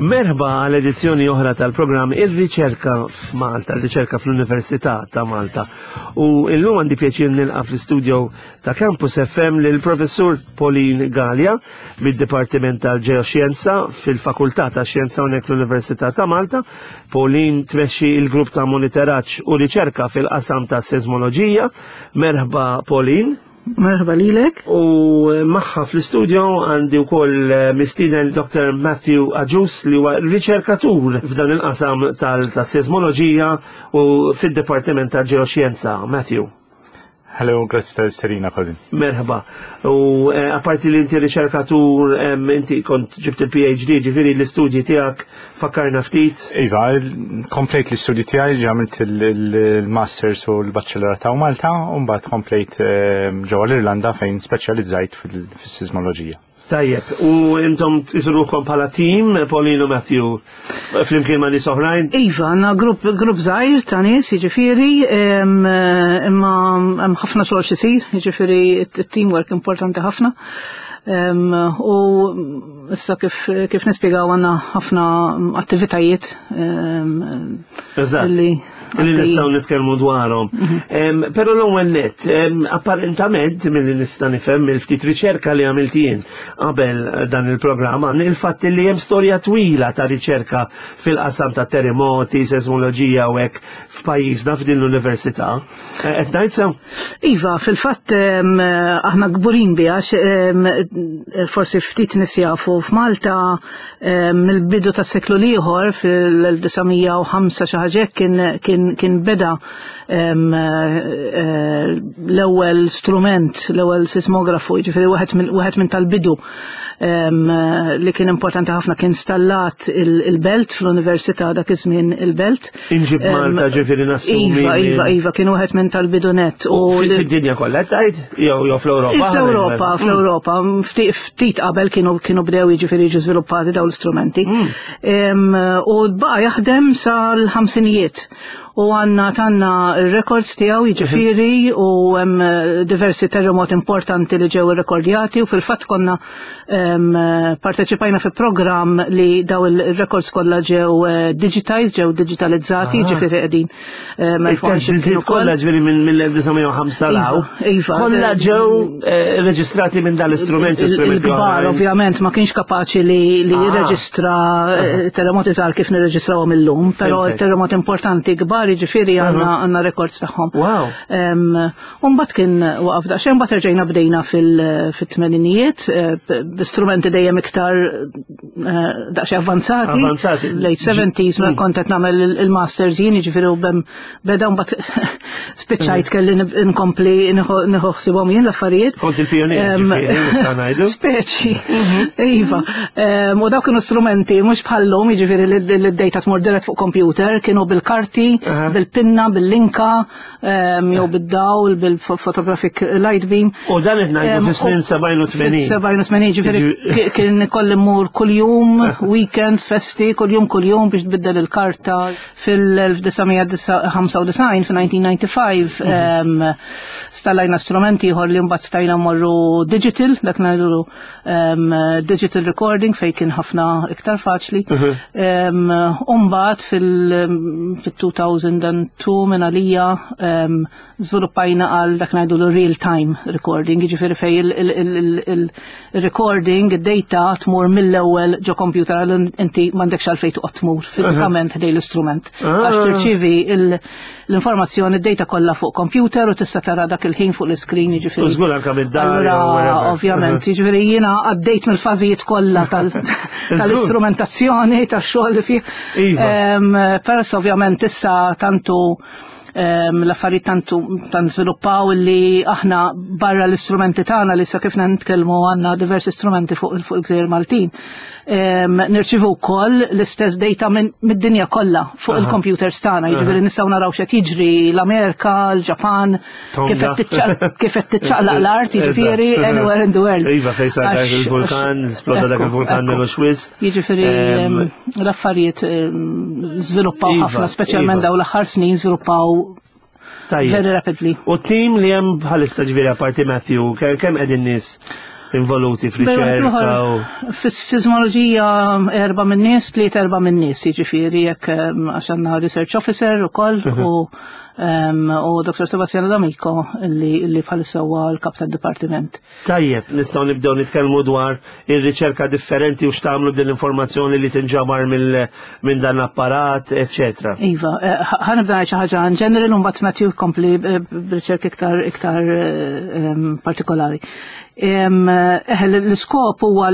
Merħba għal edizzjoni oħra tal-programm Ir-Riċerka f'Malta, ir-Riċerka fl-Università ta' Malta. U illum għandi pjaċir nilqa' fl-istudio ta' Campus FM lil professur Pauline Gallia mid-Dipartiment tal-Ġeoxjenza fil-Fakultà ta' Xjenza hawnhekk fl-Università ta' Malta. Pauline tmexxi il-grupp ta' monitoraġġ u riċerka fil-qasam ta' seismoloġija. Merħba Pauline. Merħba lilek. U eh, magħha fl-istudio għandi wkoll eh, mistieden Dr. Matthew Agius li huwa riċerkatur f'dan il-qasam tal-seismoloġija u fid-Dipartiment tal-Ġeoxjenza. Matthew. Hello, grazzi tal-isterina, Colin. Merħba. U eh, apparti li inti riċerkatur, inti kont ġibt il-PhD, ġifiri l-istudji tiegħek fakkarna ftit. Iva, komplejt l-istudji tiegħi, għamilt il-Masters u l-Bachelor ta' Malta, u mbagħad komplejt ehm, ġewwa l-Irlanda fejn speċjalizzajt fis-sismoloġija. Tajjeb, u intom tqisuruhkom bħala tim, Pauline u Matthew, flimkien ma' nies oħrajn? Iva, għandna grupp grupp żgħir ta' nies, jiġifieri, imma hemm ħafna xogħol x'isir, jiġifieri t-teamwork importanti ħafna. U issa kif, kif nispjegaw għandna ħafna attivitajiet Eżatt. Li li nistgħu nitkellmu dwarhom. Mhm. Però l-ewwel nett, apparentament milli nista' nifhem mill-ftit riċerka li għamilt jien qabel dan il-programm, il-fatt li hemm storja twila ta' riċerka fil-qasam ta' terremoti, seismoloġija u hekk f'pajjiżna f'din l-università. Eh, qed ngħid sew? Iva, fil-fatt aħna kburin biha forsi ftit nies jafu f'Malta mill-bidu tas-seklu l-ieħor fil-1905 xi ħaġa kien kien kien beda eh, l-ewwel strument, l-ewwel sismografu, jiġifieri wieħed minn tal-bidu li kien importanti ħafna kien stallat il-belt fl-università dak iż-żmien il-belt. Inġib Malta ġifieri nassumi. Iva, iva, iva, kien wieħed minn tal-bidunet. U fid-dinja kollha tgħid jew jew fl-Ewropa? Fl-Ewropa, mm. fl-Ewropa, ftit qabel kienu kienu bdew jiġifieri jiġu żviluppati dawn l-istrumenti. Mm. U baqa' jaħdem sal-ħamsinijiet u għanna tanna records tiegħu jiġifieri u hemm diversi terremot importanti li ġew irrekordjati u fil-fatt konna parteċipajna fi programm li daw il-records kollha ġew eh, digitized, ġew digitalizzati, ah. ġifieri qegħdin. Il-testijiet kollha ġifieri mill-1905 law. Iva, iva. Kollha ġew eh, reġistrati minn dal-istrument. Il-kbar ovvjament ma kienx kapaċi li ah. jirreġistra eh, terremoti żgħar kif nirreġistrawhom illum, però terremoti importanti kbar jiġifieri għandna records tagħhom. Wow. U mbagħad kien waqaf daqsxejn, mbagħad erġajna bdejna fil-tmeninijiet eh, b'istrumenti dejjem iktar eh, daqsxejn avvanzati. Avvanzati. Late 70s ma mm. kont qed nagħmel il-masters jien, jiġifieri u bem beda mbagħad spiċċajt mm. kelli nkompli nieħu ħsibhom jien l-affarijiet. Kont il-pionier, ngħidu. Speċi, mhm. iva. U dawk kienu strumenti mhux bħallum, jiġifieri li d-data tmur dirett fuq computer, kienu bil-karti, bil-pinna, bil-linka, jew bid-dawl, bil-photographic light beam. U dan qed ngħidu fis-snin 87. 87 ġifieri kien ikolli mmur kuljum, weekends, festi, kuljum kuljum biex tbiddel il-karta fil-1995, fil-1995, mhm. stallajna strumenti ieħor li mbagħad stajna mmorru digital, dak ngħidu digital recording fej kien ħafna iktar faċli. Mhm. Umbat fil-2002 minn għalija żviluppajna għal dak ngħidu real time recording, jiġifieri fej il-recording, id-data tmur mill-ewwel ġo computer għal inti m'għandekx għalfejn toqgħod tmur fiżikament ħdej l-istrument. Għax ah. tirċievi l-informazzjoni d-data kollha fuq computer u tista' tara dak il-ħin fuq l-iskrin jiġifieri. U żgur anke mid-dar. Ovvjament, mhm. jiġifieri jiena għaddejt mill-fażijiet kollha tal-istrumentazzjoni tax-xogħol li fih. Iva. Peress ovvjament issa tantu l-affarijiet tantu tant żviluppaw li aħna barra l-istrumenti tagħna li sa kif nitkellmu għandna diversi strumenti fuq il-gżejjer Maltin. Nirċivu wkoll l-istess data mid-dinja kollha fuq il-computers tagħna, jiġifieri nistgħu naraw x'qed jiġri l-Amerika, l-Ġapan, kif qed tiċċaqlaq l-art, jiġifieri anywhere in the world. Iva fejn sar dak il-vulkan, sploda dak il-vulkan minn Swiss. Jiġifieri l-affarijiet żviluppaw iva, ħafna, speċjalment iva. dawn l-aħħar snin żviluppaw Very rapidly. U tim li hemm bħalissa ġifieri apparti Matthew, kemm qegħdin nies involuti fl-riċerka? Fis-sismoloġija erba' minn nies, tliet erba' minn nies, jiġifieri jekk għax għandna research officer ukoll u u Dr. Sebastiano D'Amico li, li bħalissa huwa l-kap tad-dipartiment. Tajjeb, nistgħu nibdew nitkellmu dwar ir-riċerka differenti u x'tagħmlu din l-informazzjoni li tinġabar minn dan l-apparat, eċetera. Iva, eh, ħanibda ngħid xi ħaġa in general u mbagħad Matthew jkompli eh, b'riċerka iktar iktar eh, partikolari. L-iskop huwa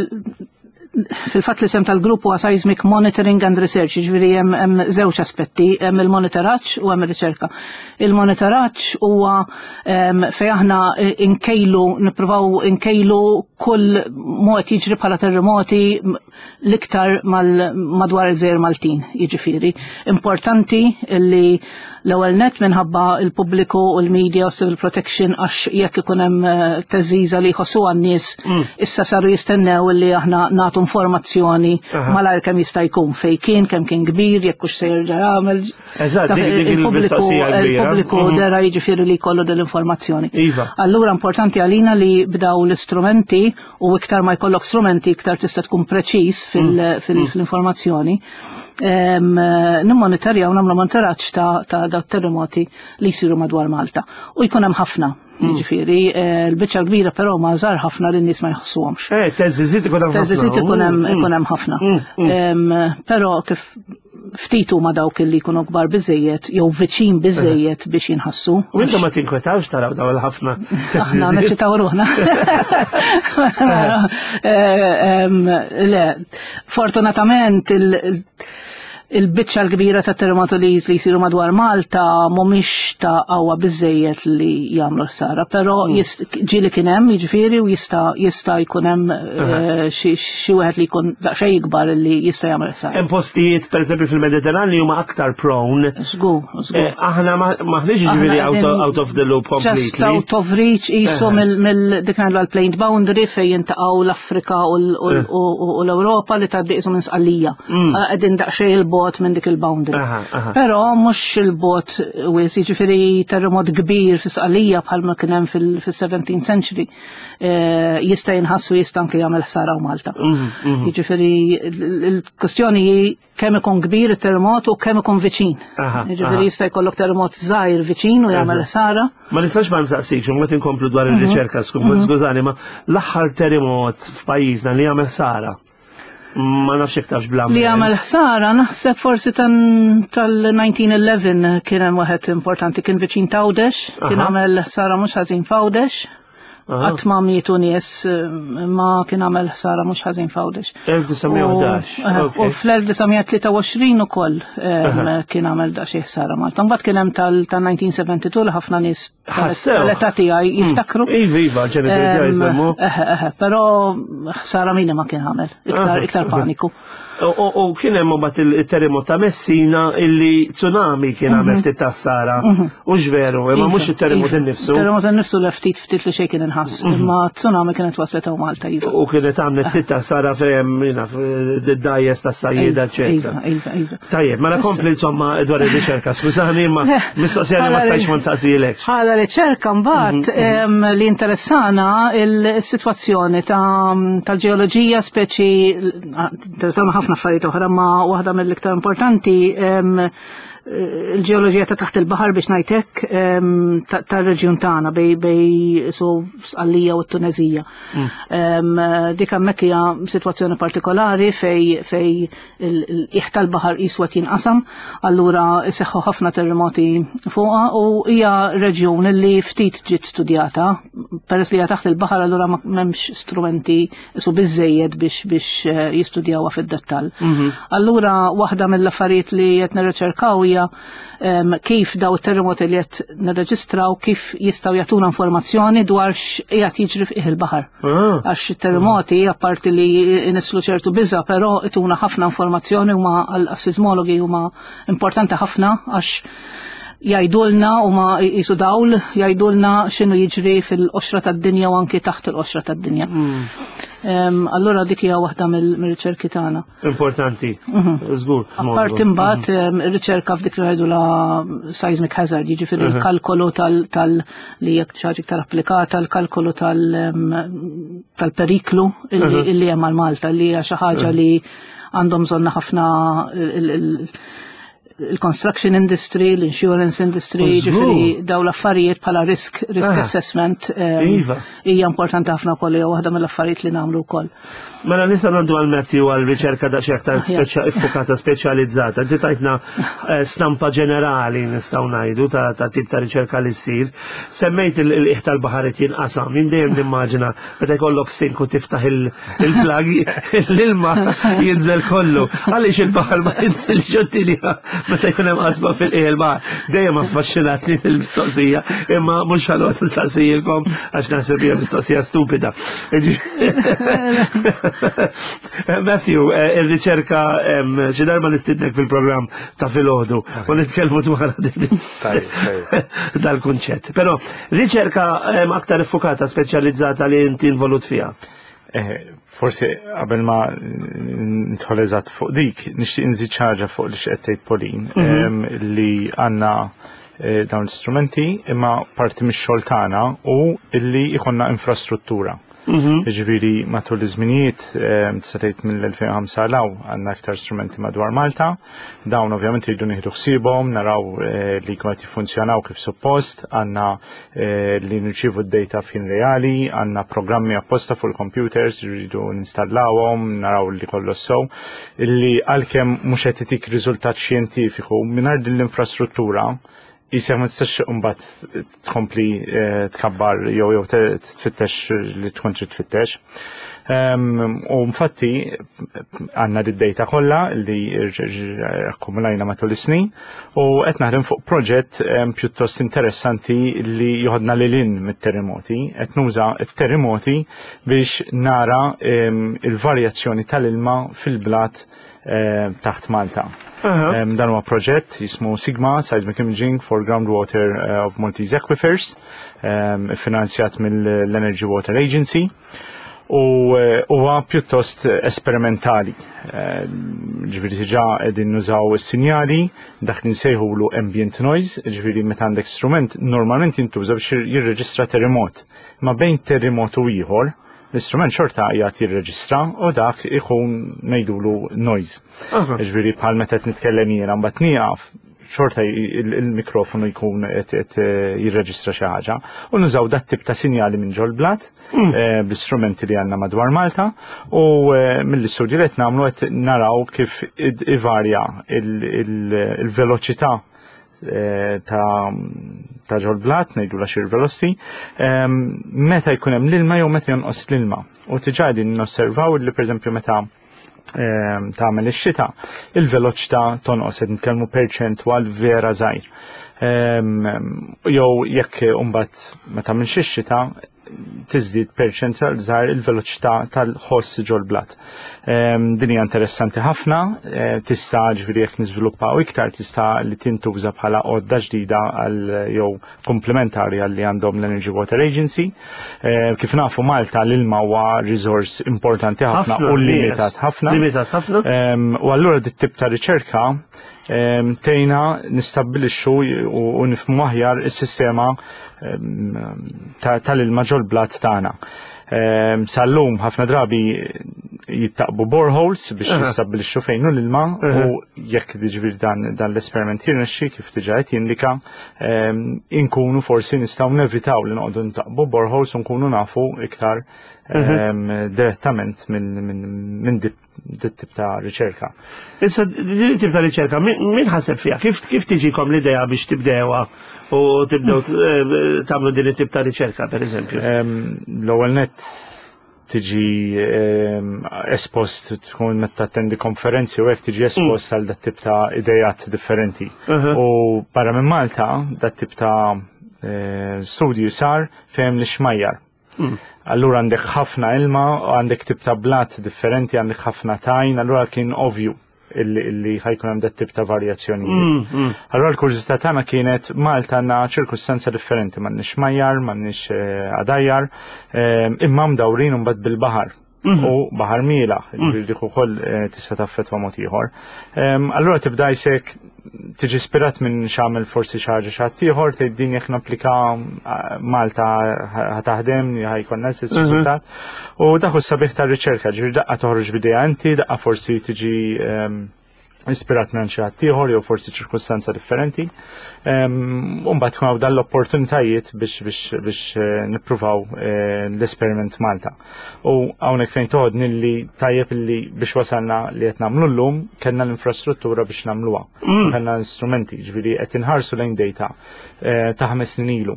fil-fatt l-isem tal-grupp huwa Seismic Monitoring and Research, jiġifieri hemm żewġ aspetti, hemm il-monitoraġġ u hemm ir-riċerka. Il-monitoraġġ huwa fejn aħna nkejlu, nippruvaw nkejlu kull mod jiġri bħala terremoti l-iktar madwar il-Gżejjer Maltin, jiġifieri. Importanti li L-ewwel nett minħabba l-pubbliku u l-media u civil protection għax jekk ikun hemm eh, teżiża li jħossuha n-nies mm. issa saru jistennew li aħna nagħtu informazzjoni malajr kemm jista' jkun fejn kien, kemm kien kbir, jekk hux se jerġa' jagħmel. Eżatt, il-pubbliku il-pubbliku mm. dera jiġifieri li jkollu din l-informazzjoni. Iva. Allura importanti għalina li bdaw l-istrumenti u iktar ma jkollok strumenti iktar tista' tkun preċiż mm. fil-informazzjoni. Nimmonitorjaw nagħmlu monitoraġġ ta' daw terremoti li jsiru madwar Malta. U jkun hemm ħafna. Jiġifieri, eh, l-biċċa kbira però ma żgħar ħafna li n-nies ma jħossuhomx. Eh, teżiżit ikun hemm ħafna. Teżiżit ikun hemm mm. ikun hemm ħafna. Mm, mm. Però kif ftit huma dawk li jkunu kbar biżejjed jew viċin biżejjed biex jinħassu. U intom ma tinkwetawx taraw daw il-ħafna. Aħna neċitaw ruħna. Eh, le, fortunatament il-biċċa l-kbira ta' terremoti li jsiru madwar Malta mhumiex ta' qawwa biżejjed li jagħmlu ħsara, però mm. ġieli kien hemm jiġifieri u jista' jista' jkun hemm eh, xi wieħed li jkun daqsxejn ikbar li jista' jagħmel ħsara. Hemm postijiet pereżempju fil-Mediterran li huma aktar prone. Żgur, żgur. Eh, aħna maħniex jiġifieri out of the loop completely. Just out of reach qisu mill dik ngħidu l-plane boundary fejn jintaqgħu l-Afrika u l-Ewropa li tgħaddi qisu minn Sqallija. Mm. Qegħdin daqsxejn il-bot minn dik il-boundary. Però mhux il-bot wis, jiġifieri terremot kbir fi Sqallija bħalma kien hemm fil-17th century eh, jista' jinħassu jista' anke jagħmel ħsara u Malta. Mm, mm. Jiġifieri il-kwestjoni hi kemm ikun kbir it-terremot u kemm ikun viċin. Jiġifieri jista' jkollok terremot żgħir viċin u jagħmel ħsara. Ma nistax ma nsaqsikx, u mbagħad inkomplu dwar mhm. ir-riċerka, mhm. skużani, ma l-aħħar terremot f'pajjiżna li jagħmel ħsara. Ma nafx jekk tafx bla. Li għamel ħsara naħseb forsi tal-1911 kien hemm waħed importanti kien viċin t'Għawdex, kien għamel ħsara mhux ħażin f'Għawdex. Qatt ma mietu nies ma kien għamel ħsara mhux ħażin f'Għawdex. 1911. U fl-1923 ukoll kien għamel daqsxejn ħsara Malta. Mbagħad kien hemm tal-1972 li ħafna nies L-età tiegħi mm. jiftakru. Iva, iva, ġenituri tiegħi jsemmu. Però ħsara minima kien għamel, iktar iktar paniku. U kien hemm mbagħad il-terremot ta' Messina illi tsunami kien għamel mhm. ftit ta' ħsara. Mhm. U veru, imma iva, mhux it-terremot iva. innifsu. Terremot innifsu le ftit ftit li xejn kien inħass, mhm. imma tsunami kienet waslet hawn Malta iva. U kienet għamlet ftit ta' ħsara fejn jiena d-dajjes ta' sajjieda, eċetera. Iva, iva. Tajjeb, mela kompli insomma dwar ir-riċerka, skużani imma mistoqsija li ma stajtx ma nsaqsilekx. Bħala riċerka mbagħad mhm, mhm. li interessana il-sitwazzjoni tal-ġeoloġija speċi interessana ħafna affarijiet oħra ma waħda mill-iktar importanti il-ġeoloġija ta' taħt il-baħar biex ngħidlek tar-reġjun tagħna bej bej su Sqallija u t-Tunezija. Mm. Dik hemmhekk hija sitwazzjoni partikolari fej fej il-qiegħ tal-baħar qisu qed jinqasam, allura iseħħu ħafna terremoti fuqha u hija reġjun li ftit ġiet studjata, peress li hija taħt il-baħar allura m'hemmx strumenti isu biżejjed biex biex eh, jistudjawha fid-dettall. Mhm. Allura waħda mill-affarijiet li qed nirriċerkaw hija hija kif daw it-terremoti li qed nirreġistraw kif jistgħu jagħtuna informazzjoni dwar x'qiegħed jiġri fih il-baħar. Ah. Għax it-terremoti apparti li jnisslu ċertu biża, però ituna ħafna informazzjoni huma għal-sismologi huma importanti ħafna għax jgħidulna u ma jisu dawl, jgħidulna x'inhu jiġri fil-qoxra tad-dinja u anki taħt il-qoxra tad-dinja. Mm. Allura dik hija waħda mill-riċerki tagħna. Importanti, mhm. żgur. Apparti mbagħad mhm. ir-riċerka f'dik li ngħidu la seismic hazard, jiġifieri mhm. l-kalkolu tal li jekk xi ħaġa iktar applikata, l-kalkolu tal-periklu illi hemm għal Malta li hija xi ħaġa li għandhom bżonna ħafna il-construction industry, l-insurance industry, ġifiri daw l-affarijiet bħala risk, risk ah. assessment ehm, iva. hija importanti ħafna wkoll hija waħda mill-affarijiet li nagħmlu wkoll. Mela nista' ngħaddu għal Matthew għal riċerka daqsxejn aktar ah, iffukata speċjalizzata. Inti tajtna eh, stampa ġenerali nistgħu ngħidu ta' tip ta' riċerka li ssir. Semmejt il-qiegħ tal-baħar qed jinqasam, jien dejjem nimmaġina meta jkollok sink u tiftaħ il-plug, l-ilma jinżel kollu. Għaliex il-baħar ma jinżilx ġottilja meta jkun hemm qasma fil-qiegħ il-baħar. Dejjem affaxxinatni il-mistoqsija, imma mhux ħanoqgħod nsaqsijilkom għax naħseb hija mistoqsija stupida. Matthew, eh, ir-riċerka xi darba nistidnek fil-programm ta' filgħodu u nitkellmu dwar dal-kunċett. Però riċerka aktar iffukata speċjalizzata li inti involut fiha. Eh, forsi qabel ma nidħol eżatt fuq dik, nixtieq nżid ħaġa fuq li x'qed tgħid Pauline, mhm. li għandna eh, dawn l-istrumenti imma parti mix-xogħol tagħna u illi jkollna infrastruttura. Mhm. Jiġifieri matul iż-żminijiet ehm, tista' tgħid mill-2005 'l hawn għandna aktar strumenti madwar Malta. Dawn ovvjament iridu nieħdu ħsiebhom, naraw eh, li jkunu qed jiffunzjonaw kif suppost, għandna eh, li nirċievu d-data f'ħin reali, għandna programmi apposta fuq il-computers rridu nistallawhom, naraw li kollox sew, illi għalkemm mhux qed itik riżultat xjentifiku mingħajr din l-infrastruttura Isek ma tistax imbagħad tkompli eh, tkabbar jew jew tfittex li tkun trid tfittex. Ehm, u infatti għandna d-data kollha li akkumulajna matul is-snin u qed naħdem fuq proġett ehm, pjuttost interessanti li joħodna lil hinn mit-terremoti. Qed nuża t-terremoti biex nara ehm, il-varjazzjoni tal-ilma fil-blat Eh, taħt Malta. Dan huwa proġett jismu Sigma Seismic Imaging for Groundwater eh, of Maltese Aquifers, finanzjat mill-Energy Water Agency u eh, huwa pjuttost esperimentali. Ġifieri diġà qegħdin nużaw is-sinjali dak li nsejħulu ambient noise, ġifieri meta għandek strument normalment jintuża biex jirreġistra terremot. Ma bejn terremot u ieħor, L-istrument xorta qiegħed jirreġistra u dak ikun ngħidulu noise. Ġifieri bħal meta qed nitkellem jiena mbagħad nieqaf xorta il-mikrofonu jkun qed eh, jirreġistra xi ħaġa. U nużaw dat tip ta' sinjali minn ġol-blat mm. eh, bl-istrumenti li għandna madwar Malta u eh, mill-istudji li qed nagħmlu qed naraw kif ivarja il-veloċità Eh, ta' ta' ġol-blat, ngħidu la shear velocity, ehm, meta jkun hemm l-ilma jew meta jonqos l-ilma. U diġà qegħdin nosservaw li pereżempju meta ehm, tagħmel ix-xita, il-veloċità tonqos qed nitkellmu perċentwal vera żgħir. Ehm, jew jekk imbagħad ma tagħmilx ix-xita, tiżdied perċentwal żgħar il-veloċità tal-ħoss ġol-blat. Ehm, din hija interessanti ħafna, eh, tista' ġifieri jekk niżviluppaw iktar tista' li tintuża bħala għodda ġdida għal jew komplementari għal li għandhom l-Energy Water Agency. Eh, kif nafu Malta l-ilma huwa resource importanti ħafna u limitat ħafna. Limitat ħafna. Ehm, u allura dit tip ta' riċerka ehm, tejna nistabbilixxu u nifhmu aħjar is-sistema tal-ilma ġol-blat tagħna. Ehm, sal-lum ħafna drabi jittaqbu boreholes biex jistabbilixxu fejn hu l-ilma u jekk jiġifieri dan, dan l-esperiment jirnexxi kif diġà qed jindika ehm, inkunu forsi nistgħu nevitaw li noqogħdu ntaqbu boreholes u nkunu nafu iktar ehm, direttament minn min, min dit tip ta' riċerka. Issa, din tip ta' riċerka, min ħaseb fiha? Kif, kif tiġikom l-idea biex tibdewa u tibdew eh, tagħmlu din it-tip ta' riċerka, per eżempju? L-ewwel net tiġi espost tkun meta tattendi konferenzi u hekk tiġi espost għal dat tip ta' idejat differenti. U barra minn Malta, dat tip ta' studju sar fejn l-xmajjar. Allura għandek ħafna ilma, għandek tip ta' blat differenti, għandek ħafna tajn, allura kien ovvju illi ħa jkun hemm dat tip ta' varjazzjonijiet. Allura l-kurżità tagħna kienet Malta għandna ċirkustanza differenti, m'għandniex xmajjar, m'għandniex għadajjar, imma mdawrin imbagħad bil-baħar. U baħar mielaħ, ġifieri dik ukoll tista' taffettwa mod ieħor. Allura tibda jsek tiġi ispirat minn x'għamel forsi xi ħaġa xi ħadd ieħor, tgħid din jekk napplika Malta ħa taħdem, ħa jkollna l-istess riżultat. U dak hu s-sabiħ tar-riċerka, ġifieri daqqa toħroġ b'idea inti, daqqa forsi tiġi ispirat minn xi ħadd ieħor jew forsi ċirkustanza differenti. U mbagħad tkun hawn dan l-opportunitajiet biex nippruvaw l-esperiment Malta. U hawnhekk fejn toħodni li tajjeb li biex wasalna li qed nagħmlu llum kellna l-infrastruttura biex nagħmluha. Kellna l-istrumenti, ġifieri qed inħarsu lejn data ta' 5 snin ilu.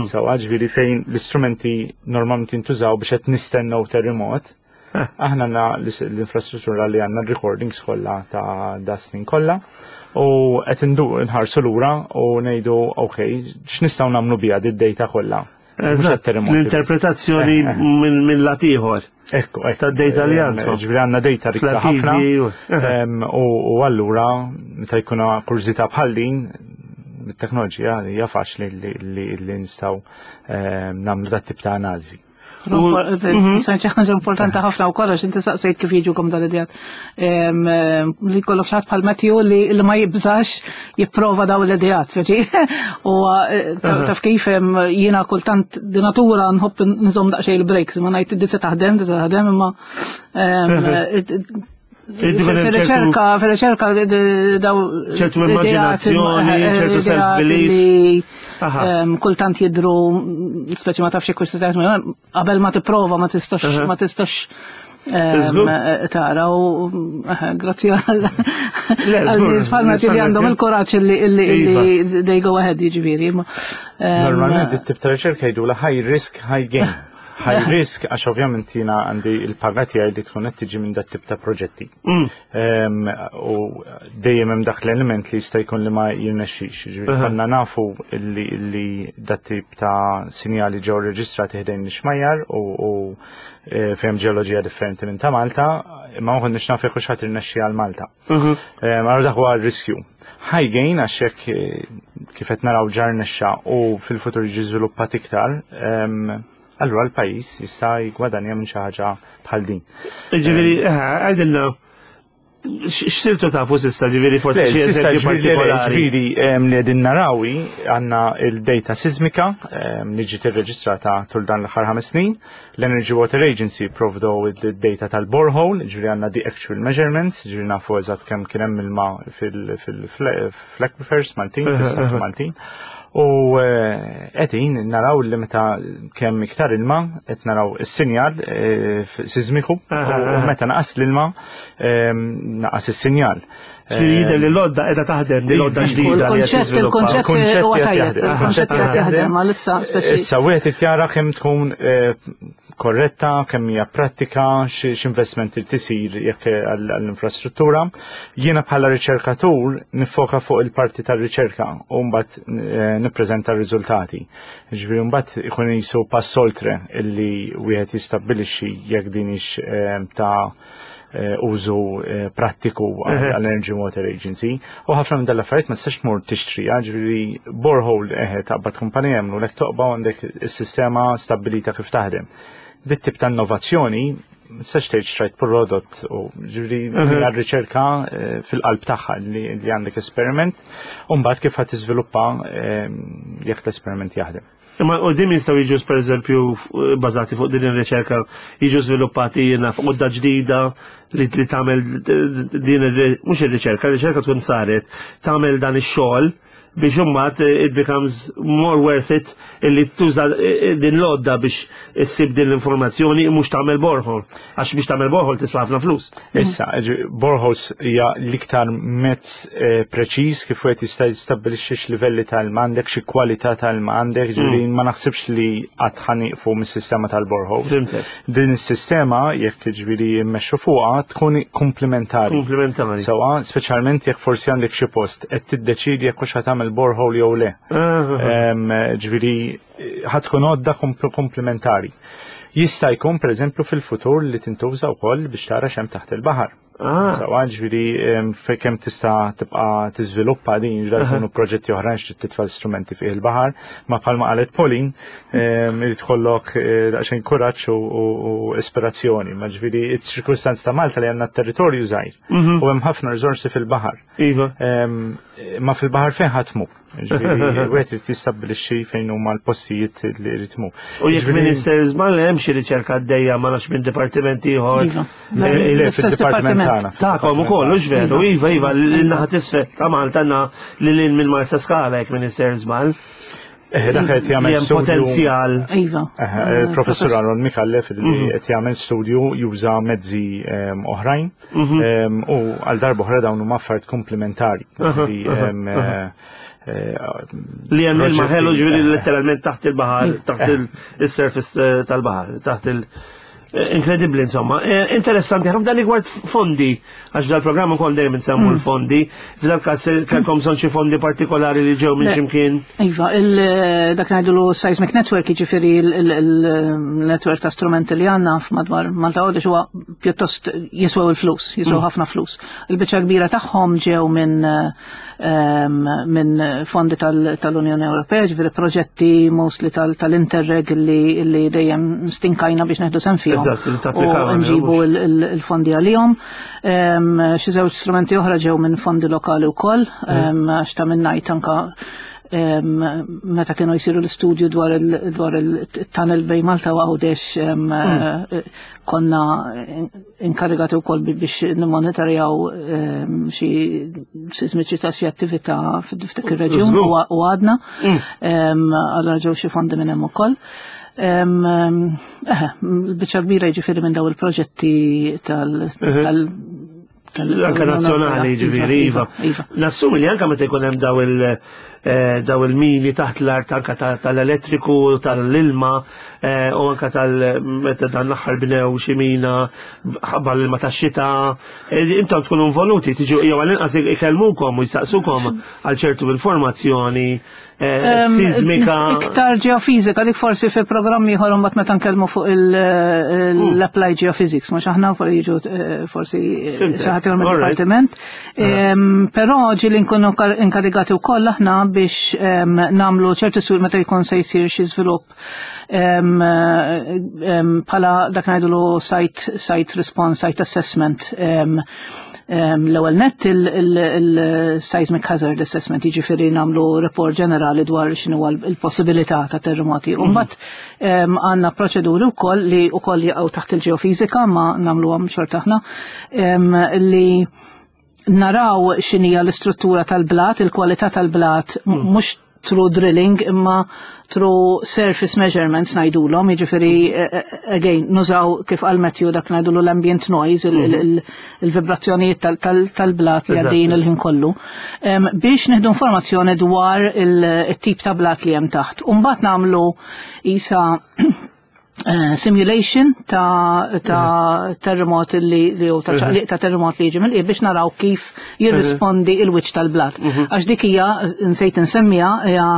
So, ġifieri fejn l-istrumenti normalment jintużaw biex qed nistennew terremot. Aħna għandna l-infrastruttura li għandna recordings kollha ta' da snin kollha u qed nħarsu lura u ngħidu, ok, x'nistgħu nagħmlu biha di data kollha. Mhux għat-terremoti. L-interpretazzjoni minn lat ieħor. Ekku. Ta' data li għandkom. Ġifieri għandna data rikka ħafna. Fl-arkivi U allura meta jkun kurżità bħal din, bit-teknoloġija hija faċli li nistgħu nagħmlu dat tip ta' analiżi. Xi ħaġa importanti ħafna u kollox, inti saqsejt kif jiġukom dal-idejat. Li jkollok xi ħadd bħal Matthew li ma jibżax jipprova daw l-idejat, speċi. U taf kif jiena kultant di natura nħobb nżomm daqsxejn il-brakes, ma ngħid di se taħdem, di se taħdem, imma Inti kun hemm fil-riċerka daw ċertu immaġinazzjoni, ċertu ideat self-belief. li kultant jidru speċi ma tafx jekk se taħdem, qabel ma tipprova ma tistax ma tistax Żgur. tara u grazzi għal Le, għal żgur, nies bħal Matthew li għandhom il-kuraġġ li they go ahead, jiġifieri. Normalment it-tip ta' riċerka jgħidu la high risk, high gain. High risk għax ovvjament jiena għandi il-paga tiegħi li tkun qed tiġi minn dat tip ta' proġetti. U dejjem hemm dak l-element li jista' jkun li ma jirnexxix. Ġifieri konna nafu li dat tip ta' sinjali ġew reġistrati ħdejn l-xmajjar u fejn ġeoloġija differenti minn ta' Malta, imma ma konniex nafu jekk hux ħadd irnexxi għal Malta. Allura dak huwa r-riskju. High gain għax hekk kif qed naraw ġar nexxa u fil-futur jiġi żviluppat iktar, allura l-pajjiż jista' jgwadanja minn xi ħaġa bħal din. Ġifieri, għidilna, x'sirtu tafu s'issa, ġifieri forsi Le, xi s'issa eżempju ġifieri, partikolari. Ġifieri li qegħdin narawi għandna il-data sismika li ġiet irreġistrata tul dan l-aħħar 5 snin. L-Energy Water Agency provdow il-data tal-borehole, ġifieri għandna the actual measurements, ġifieri nafu eżatt kemm kien hemm ilma fil-aquifers Maltin, fis-saħħ Maltin. U qegħdin naraw li meta kemm iktar ilma qed naraw is-sinjal sismiku u meta naqas l-ilma naqas is-sinjal. Ġifieri jidher li l-għodda qiegħda taħdem, li l-għodda ġdida li qed tiżviluppa. Il-konċett Il-konċett huwa qed tajjeb, jaħdem, il-konċett qed il-konċett jaħdem, għalissa speċi. Issa wieħed irid jara kemm tkun korretta, kemm hija prattika, x'investment irid isir jekk għall-infrastruttura. Jiena bħala riċerkatur nifoka fuq il-parti tar-riċerka u mbagħad nippreżenta r-riżultati. Ġifieri mbagħad ikun jisu pass oltre illi wieħed jistabbilixxi jekk din hix ta' użu prattiku għall-Energy Water Agency. U ħafna minn dal-affarijiet ma tistax tmur tixtriha, ġifieri borehole eħe taqbad kumpanija jagħmlu lek toqba u għandek is-sistema stabbilita kif taħdem. Dit tip ta' innovazzjoni ma tistax tgħid xtrajt prodott u ġifieri hija r-riċerka fil-qalb tagħha li għandek esperiment u mbagħad kif ħadd tiżviluppa jekk l-esperiment jaħdem. Imma u din jistgħu jiġu per eżempju bażati fuq din ir-riċerka jiġu żviluppati jiena fuq għodda ġdida li tagħmel din mhux ir-riċerka, ir-riċerka tkun saret, tagħmel dan ix-xogħol. Biex imbagħad it becomes more worth it illi tuża din l-għodda biex issib din l-informazzjoni mhux tagħmel borehole. Għax biex tagħmel borehole tiswa ħafna flus. Issa, boreholes hija l-iktar mezz preċiż kif wieħed jista' jistabbilixxi x'livelli ta' ilma għandek, xi kwalità ta' ilma għandek, ġifieri ma naħsibx li qatt ħa nieqfu mis-sistema tal-boreholes. Fhimtek. Din is-sistema, jekk ġifieri mmexxu fuqha, tkun komplementari. Komplementari. Sewwa, speċjalment jekk forsi għandek xi post qed tiddeċiedi jekk hux ħa tagħmel borehole jew le. Ġifieri ħa tkun għodda komplementari. Jista' jkun pereżempju fil-futur li tintuża wkoll biex tara x'hemm taħt il-baħar. Sewwa, ġifieri kemm tista' tibqa' tiżviluppa din, ġifieri jkunu proġetti oħrajn xi titfa' strumenti fih il-baħar, ma bħalma qalet Pauline, irid tkollok daqsxejn kuraġġ u ispirazzjoni, ma ġifieri ċ-ċirkustanza ta' Malta li għandna territorju żgħir u hemm ħafna riżorsi fil-baħar. Ma fil-baħar fejn ħa tmur. Ġifieri, wieħed irid jistabbilixxi fejn huma l-postijiet li jrid tmur. U jekk Minister żball hemm xi riċerka għaddejja ma nafx minn dipartiment ieħor. Iva. Le, fid-dipartiment tagħna. Tagħkom ukoll, hux veru, iva, iva, l-naħa t'isfel ta' Malta għandna lil hinn minn Marsa Skala jekk Minister żball. Dak qed jagħmel Li hemm studju. potenzjal. Iva. Professur Aaron Micallef li qed jagħmel studju juża mezzi oħrajn u għal darba oħra dawn huma affarijiet komplementari. Li hemm ilma ħelu ġifieri letteralment taħt il-baħar, taħt il-surface tal-baħar, taħt il- Inkredibbli, insomma. Interessanti, ħafna dan rigward fondi, għax dal-programm ukoll dejjem insemmu l-fondi. F'dal każ kellkom bżonn xi fondi partikolari li ġew minn Le. x'imkien. Iva, dak ngħidulu seismic network, jiġifieri il-network ta' strumenti li għandna f'madwar Malta Għawdex huwa pjuttost jiswew il-flus, jiswew ħafna flus. Il-biċċa kbira tagħhom ġew minn fondi tal-Unjoni Ewropea, ġifieri proġetti mostly tal-Interreg li dejjem stinkajna biex neħdu sehem fihom. Eżatt, li tapplikaw U għalihom, nġibu mhux? il-fondi għalihom. Xi żewġ strumenti oħra ġew minn fondi lokali wkoll, għax ta' minn ngħid anka meta kienu jsiru l-istudju dwar il-tunnel bejn Malta u Għawdex, konna inkarigati wkoll biex nimmonitorjaw xi sismiċità, xi attività f'dik ir-reġjun u għadna. Allora ġew xi fondi minn hemm ukoll. Il-biċċa kbira jiġifieri minn daw il-proġetti tal- Anka nazzjonali, Iva, ġifieri, iva. Iva. Nassumi li anka meta jkun hemm daw il-mini taħt l-art anka tal-elettriku, tal-ilma, u anka tal meta dan l-aħħar bnew xi mina ħabba l-ilma tax-xita, intom tkunu involuti, tiġu jew għall-inqas ikellmukom u jsaqsukom għal ċertu informazzjoni sismika. Iktar ġeofizika, dik forsi fi programmi ieħor mbagħad meta nkellmu fuq l-applied geophysics, mhux aħna fuq jiġu forsi Fhimtek. xi ħadd ieħor All right. mid-dipartiment. Però ġieli nkunu inkarigati wkoll aħna biex nagħmlu ċertu sur meta jkun se jsir xi żvilupp bħala dak ngħidulu site response, site assessment. L-ewwel nett il-seismic hazard assessment, jiġifieri nagħmlu report ġenerali dwar x'inhu il-possibilità ta' terremoti. U mbagħad għandna proċeduri wkoll li wkoll jaqgħu taħt il-ġeofizika ma nagħmluhom xorta aħna, li naraw x'inhija l-istruttura tal-blat, il-kwalità tal-blat, mhux through drilling imma through surface measurements ngħidulhom, jiġifieri again nużaw kif qal Matthew dak ngħidulu l-ambient noise, il-vibrazzjonijiet tal-blat li għaddejjin il-ħin kollu, biex nieħdu informazzjoni dwar il-tip ta' blat li hemm taħt. U mbagħad nagħmlu isa simulation ta' terremot li jew ta' ċaqliq ta' terremot li jiġi mill biex naraw kif jirrispondi il-wiċċ tal-blat. Għax dik hija, nsejt insemmija, hija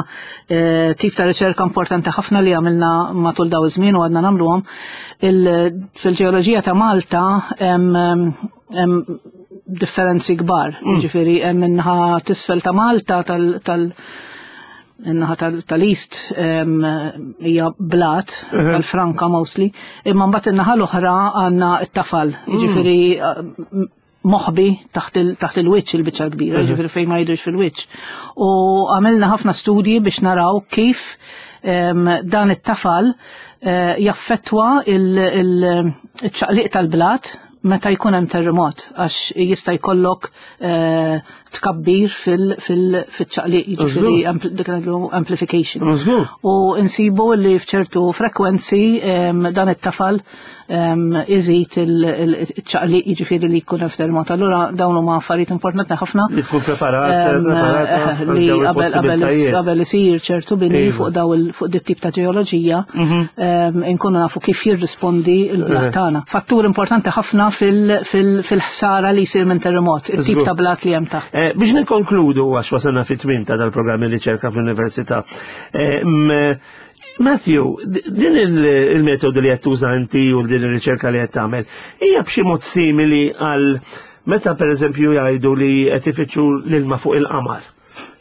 tip ta' riċerka importanti ħafna li għamilna matul daw iż-żmien u għadna nagħmluhom. Fil-ġeoloġija ta' Malta hemm differenzi kbar, jiġifieri hemm in-naħa t'isfel ta' Malta tal in-naħa tal-East hija blat, tal-franka mostly, imma mbagħad in-naħa l-oħra għandna t-tafal, jiġifieri moħbi taħt il-wiċċ il-biċċa kbira, jiġifieri fejn ma jidhirx fil-wiċċ. U għamilna ħafna studji biex naraw kif dan it-tafal jaffettwa il-ċaqliq tal-blat. meta jkun hemm terremot għax jista' jkollok eh, tkabbir fil-ċaqliq, jiġifieri dik amplification. U nsibu li f'ċertu frekwenzi dan it-tafal iżid il-ċaqliq jiġifieri li jkun hemm terremot. Allura dawn huma affarijiet importanti ħafna. Li tkun preparat, eh, li qabel isir ċertu bini iva. fuq daw fuq dit tip ta' ġeoloġija mhm. inkunu nafu kif jirrispondi l-blat eh. tagħna. Fattur importanti ħafna fil-ħsara li jsir minn terremot, it-tip ta' blat li hemm taħt. Eh, biex nikkonkludu għax wasalna fit-tmiem ta' dal-programm riċerka fl-Università. Eh, Matthew, din il-metodu li qed tuża inti u din ir-riċerka li qed tagħmel hija b'xi mod simili għal meta pereżempju jgħidu li qed ifittxu l-ilma fuq il-qamar.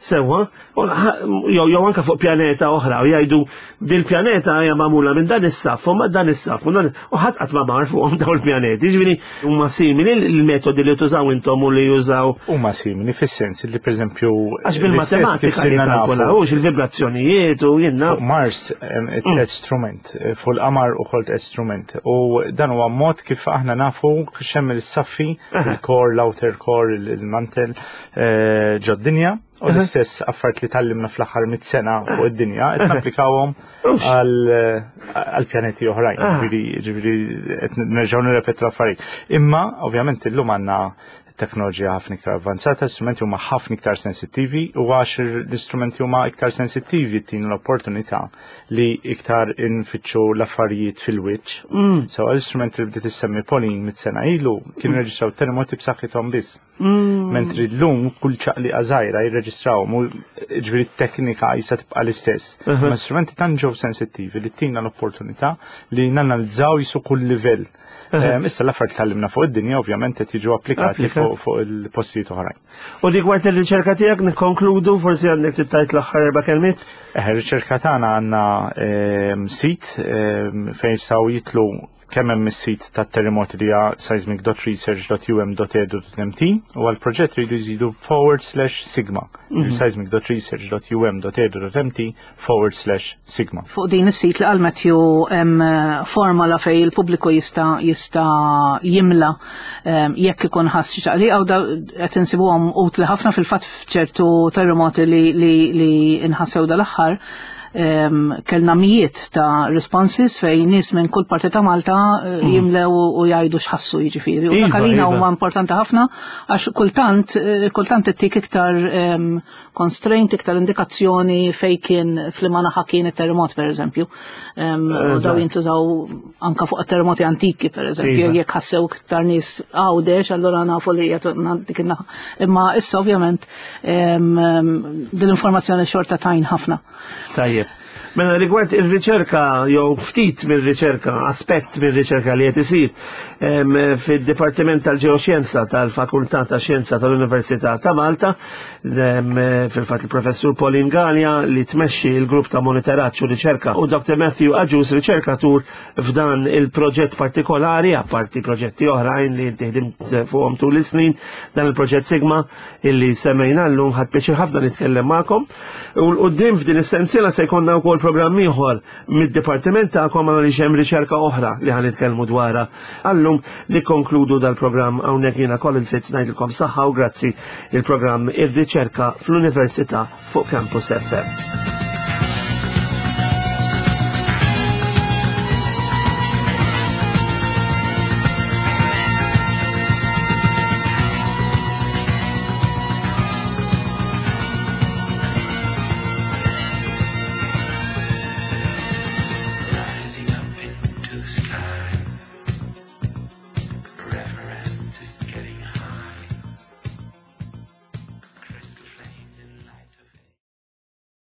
Sewwa, jew jew anke fuq pjaneta oħra u jgħidu dil-pjaneta hija magħmula minn dan is-saff u ma dan is-saff u ħadd qatt ma mar fuqhom dawn il-pjaneti. Jiġifieri huma simili l-metodi li tużaw intom u li jużaw. Huma simili fis-sens li pereżempju għax bil-matematika li kalkulawx il-vibrazzjonijiet u jien Fuq Mars tliet strument, fuq il-qamar ukoll tliet strument. U dan huwa mod kif aħna nafu x'hemm il-saffi, il-core, l-outer core, il-mantel. Eh, ġod-dinja u l-istess affarijiet li tallimna fl-aħħar mit sena fuq id-dinja qed napplikawhom għal pjaneti oħrajn. Ah. Ġifieri qed nerġgħu nirrepetu l-affarijiet. Imma ovvjament illum għandna teknoloġija ħafna iktar avvanzata, l-istrumenti huma ħafna iktar sensittivi u għax l-istrumenti huma iktar sensittivi tin l-opportunità li iktar infittxu l-affarijiet fil-wiċċ. Mm. So l-istrumenti li bdiet issemmi Pauline mit sena ilu kienu mm. reġistraw terremoti b'saħħithom biss. Mm. Mentri l-lum kull ċaqliqa żgħira jirreġistrawhom u ġifieri t-teknika jista' tibqa' l-istess. Ma strumenti tant ġew sensittivi li tina l-opportunità li nanalizzaw jisu kull livell. Issa l-affarijiet tgħallimna fuq id-dinja ovvjament qed jiġu applikati fuq il-postijiet oħrajn. U rigward ir-riċerka tiegħek nikkonkludu forsi għandek tittajt l-aħħar erba' kelmiet? Eh, ir-riċerka tagħna għandna sit fejn jistgħu jitlu Kemm hemm is-sit tat-terremoti li hija seismic.research.um.edu.mt u għall-proġett jridu jżidu forward slash sigma. Mm -hmm. seismic.research.um.edu.mt forward slash sigma. Fuq din is-sit li qal Matthew hemm eh, formola fej il-pubbliku jista' jista' jimla eh, jekk ikun ħass xi ċaqliqa u qed insibuhom utli ħafna fil-fatt f'ċertu terremoti li, li, li inħassew dal-aħħar kellna mijiet ta' responses fej nies minn kull parti ta' Malta eh, mm. jimlew u jgħidu x'ħassu jiġifieri. U dak iva, għalina iva. huwa importanti ħafna għax kultant eh, kultant ittik iktar constraint, iktar indikazzjoni fej kien fl naħa kien it-terremot pereżempju. U daw jintużaw anka fuq terremoti antiki pereżempju, iva. jekk ħassew iktar nies għawdex, allura nafu li dik in-naħa. Imma issa ovvjament din l-informazzjoni xorta tajn ħafna. Tajjeb. Mela rigward ir-riċerka jew ftit mir-riċerka, aspett mir-riċerka li qed isir fid-Dipartiment tal-Ġeoxjenza tal-Fakultà ta' Xjenza tal-Università ta' Malta, fil-fatt il-Professur Pauline Galea li tmexxi l-grupp ta' monitoraġġ u riċerka u Dr. Matthew Agius riċerkatur f'dan il-proġett partikolari, apparti proġetti oħrajn li inti ħdimt fuqhom tul is-snin, dan il-proġett Sigma illi semmejna llum ħadd pjaċir ħafna nitkellem magħkom. U l-qudiem f'din is-sensiela se jkollna wkoll programm ieħor mid-dipartiment tagħkom għaliex hemm riċerka oħra li ħa nitkellmu dwarha. Għallum nikkonkludu dal-programm hawnhekk jiena Colin Fitz ngħidilkom saħħa u grazzi il-programm ir-riċerka fl-Università fuq Campus FM. Rising up into the sky.